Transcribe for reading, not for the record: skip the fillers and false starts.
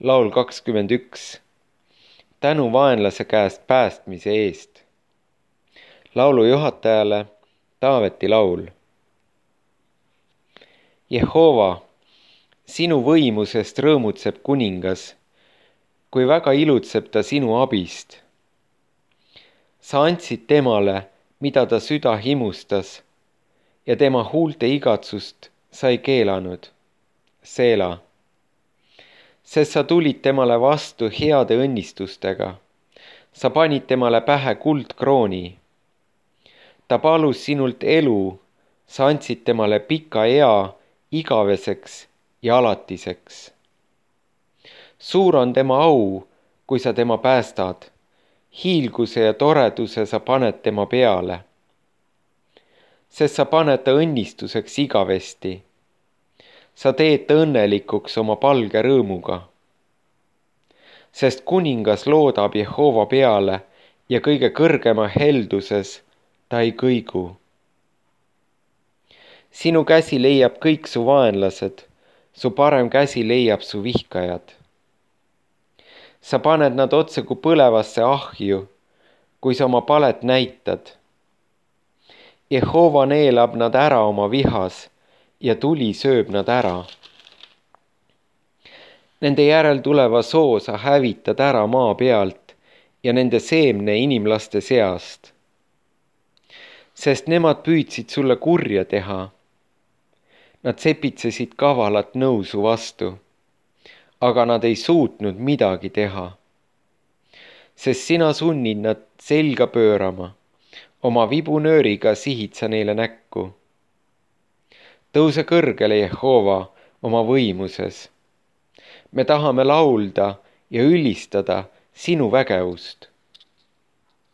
Laul 21. Tänu vaenlase käest päästmise eest. Laulu juhatajale Taaveti laul. Jehova, sinu võimusest rõõmutseb kuningas, kui väga ilutseb ta sinu abist. Sa andsid temale, mida ta süda himustas, ja tema huulte igatsust sa ei keelanud. Seela. Sest sa tulid temale vastu heade õnnistustega. Sa panid temale pähe kuldkrooni. Ta palus sinult elu, sa andsid temale pika ea igaveseks ja alatiseks. Suur on tema au, kui sa tema päästad. Hiilguse ja toreduse sa paned tema peale. Sest sa paned ta õnnistuseks igavesti. Sa teed ta õnnelikuks oma palge rõõmuga. Sest kuningas loodab Jehova peale ja kõige kõrgema helduses ta ei kõigu. Sinu käsi leiab kõik su vaenlased, su parem käsi leiab su vihkajad. Sa paned nad otse kui põlevasse ahju, kui sa oma palet näitad. Jehova neelab nad ära oma vihas ja tuli sööb nad ära. Nende järel tuleva soo sa hävitad ära maa pealt ja nende seemne inimlaste seast. Sest nemad püüdsid sulle kurja teha. Nad sepitsesid kavalat nõu su vastu, aga nad ei suutnud midagi teha. Sest sina sunnid nad selga pöörama, oma vibunööriga sihid sa neile näkku. Tõuse kõrgele, Jehova, oma võimuses. Me tahame laulda ja ülistada sinu vägevust.